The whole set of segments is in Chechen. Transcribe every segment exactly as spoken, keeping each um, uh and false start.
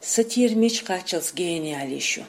Сатира мича кхаччалц гениалиш ю?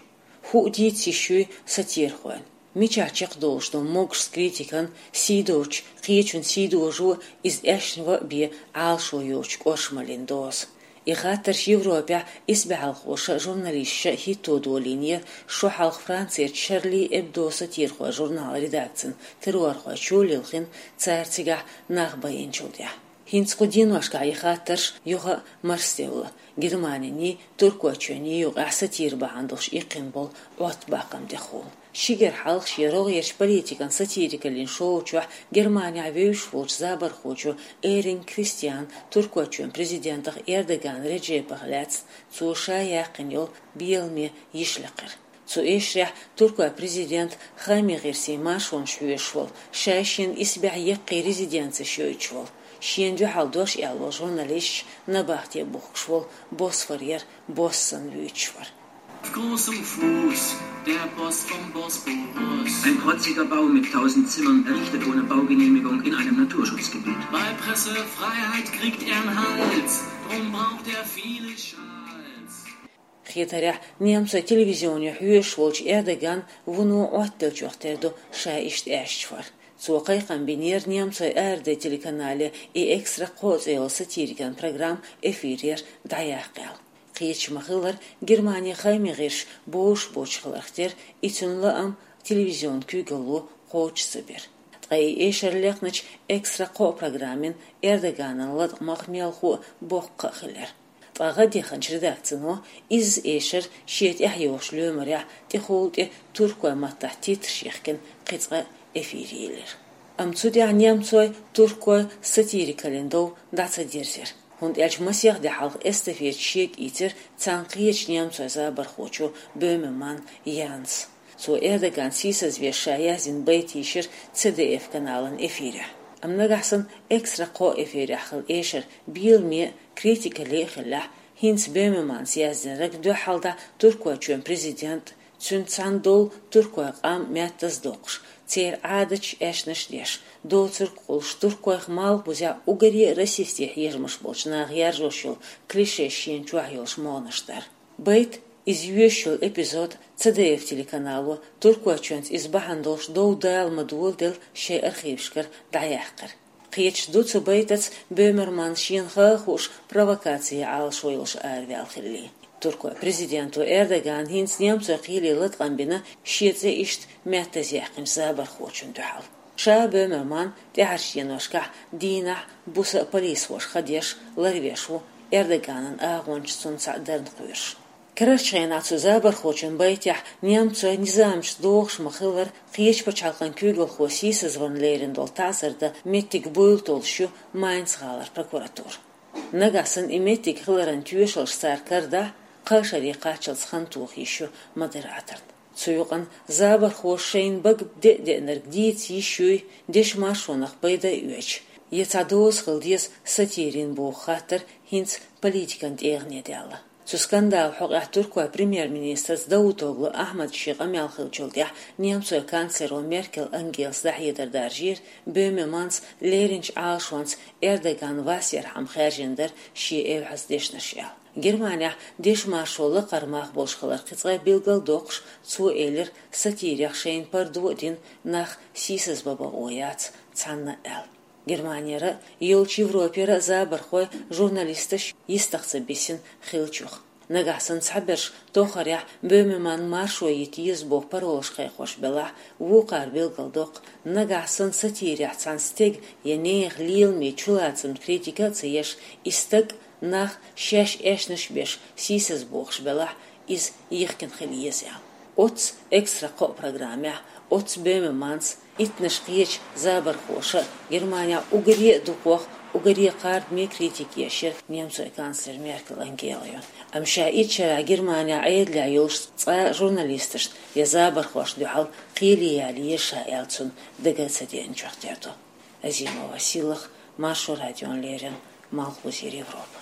ХӀуъа дийца йиш юй сатирхойн? Мичахь чекхдолуш ду могушчу критикан, сийдолчу кхечун сийдожо, иза аьшна ван а бен, Ӏалашо йоцучу кӀоршамаллин доза? И хаттарш Европехь исбаьхьалхоша а, журналисташа а хӀитто долийнера шо хьалха Францерчу Шарли Эбдо сатирхойн журналан редакцин террорхойчо лилхина, цара цигахь нах байинчул тӀаьхьа. ХӀинца кху деношкахь и хаттарш юха а марсаделла, Германиний, Туркойчоьнний юкъахь сатира бахьана долуш иккхина болу Ӏоттабаккхам тӀехула. Ши гергахь хьалха шен рогӀерчу политикан сатирикаллин шоу чохь Германехь вевзаш волчу забархочо Эринг Кристиана Туркойчоьнан президентах Эрдоган Реджепах лаьцна цо ша яьккхина йолу беламе йиш лекхира. Цу эшарехь Туркойн президент Хаймигерсин маршонаш хьоьшуш волу, шаьш шен исбаьхьа яккхий резиденцеш йойтуш волу, шена дуьхьал дош аьлла волу журналисташ набахте бухкуш волу Босфорера босс санна вуьйцуш вара. Auf großem Fuß, der Boss vom Bosporus. Ein protziger Bau mit tausend Zimmern, errichtet ohne Baugenehmigung in einem Naturschutzgebiet. Bei Pressefreiheit kriegt er einen Hals, drum braucht er viele Schals. Хетарехь, немцойн телевизионе хьоьшуш волчу Эрдоган вуно Ӏоттаделлачух тера ду ша иштта аьшчу вар. Цо кхайкхам бинера немцойн АРД телеканале и «Экстра кхоъ» цӀе йолу сатирикан программа эфирера дӀаяккха аьлла. Кхеташ ма-хиллара, Германин хаймигерш бозуш боцуш хиларх тера, и цуьнан лаам телевизионан куьйгалло кхочуш ца бира. Ткъа и эшар лекхначу «Экстра кхоъ» программин Эрдоганан латкъамах мелхо а, боккха а хилира. Ткъа гӀадеханчу редакцино изза эшар шен тӀаьхьайогӀучу лоьмарехь тӀехула тӀе туркойн маттахь титраш яхкина кхин цкъа эфире йиллира. Амма цу тӀехь немцойн, туркойн сатирикаллин дов дӀа ца дирзира, хӀунда аьлча масех де хьалха эстафета шега ийцира цхьана кхечу немцойн забархочо Бёмеман Янса. Цо Эрдоган сийсазвеш ша яздина байт йийшира Ц Д Ф каналан эфирехь. Амма нагахь санна «Экстра кхоъ» эфирехь хилла эшар беламе а, критикалле а хиллехь, хӀинца Бёмеманца яздинарг дуьххьалдӀа Туркойчоьнан президент, цуьнца цхьаьна долу туркойн къам меттаза доккхуш, церан Ӏадаташ, аьшнаш деш, доцург а кхуллуш, туркойх малхбузехь уггаре а расистийн хьежамаш болчу наха яржош йолу клишеш шена чохь йолуш могӀанаш дар. Байт, иза йоьшуш йолу эпизод Ц Д Ф телеканало, Туркойчоьнца иза бахьана долуш дов дала ма доладелла, шайн архивашкара дӀаяьккхира. Кхеташ ду цу байтаца Бёмерман шена хан а хууш провокаци Ӏалашо йолуш араваьлла хилла. Туркойн президенто Эрдогана хӀинца немцойн кхеле латкъам бина шен цӀе иштта меттаза яьккхинчу забархочунна дуьхьал. Ша Бёмерман тӀаьхьарчу деношкахь дийнахь, буса а полисхоша хан деш, ларвеш ву, Эрдоганан агӀончаш цунна цхьаъ дарна кхоьруш. Карарчу хенахь цу забархочун байтехь немцойн низамашца догӀуш ма-хиллара, кхечу пачхьалкхан куьйгалхо сийсазварна лерина долу таӀзар дан меттиг буйла толлуш ю Майнц-гӀалара прокуратура. Нагахь санна и меттиг хиларан тоьшаллаш цара карадахь, кхаа шаре кхаччалц хан тоха йиш ю модераторна. Цу юкъана забархоша шайна бага деа деанарг дийца йиш юй, дешан маршонах пайда а оьцуш, я цхьа доза хила деза сатирин боху хаттар хӀинца политикан тӀегӀане даьлла. Цу скандалан хьокъехь туркойн премьер-министрца Давутоглу Ахьмада шен къамел хиллачул тӀаьхьа немцойн канцлеро Меркель Ангелас дӀахьедар даржийра Бёмеманца леринчу Ӏалашонца Эрдоган вас ярхьама хаьржина дара шен эвхьаза дешнаш аьлла. Германехь дешан маршо лакхара мах болуш хилар кхин цкъа билгалдоккхуш, цо элира, сатирех шайна пардо а дина, нах сийсазбан бакъо яц цхьанна аьлла. Германера а, йолчу Европера а забархой журналисташ йистах ца бисина хиллачух. Нагахь санна цхьаберш тохарехь Бёмеман маршо йита еза боху паролаш кхайкхош белахь, вукхара билгалдоккху, нагахь санна сатирехь цхьана стеган я нехан леламе чулацамна критика а ца еш, и стаг, нах шаьш эшнаш беш сийсазбохуш белахь, иза йихкина хила еза аьлла. Оццу «Экстра кхоъ» программехь оццу Бёмеманца, иттаннаш кхечу забархоша а Германехь уггаре а дукхох, уггаре а кхардаме критика еш яра немцойн канцлер Меркель Ангелайо. Амма ша итт шарахь Германехь Ӏедалехь йолуш цкъа а журналисташна я забархошна дуьхьал кхеле яла еза ша аьлла цунна дага а ца деанчух тера ду. Азимова Сийлаха, Маршо радиона леррина, Малхбузера Европа.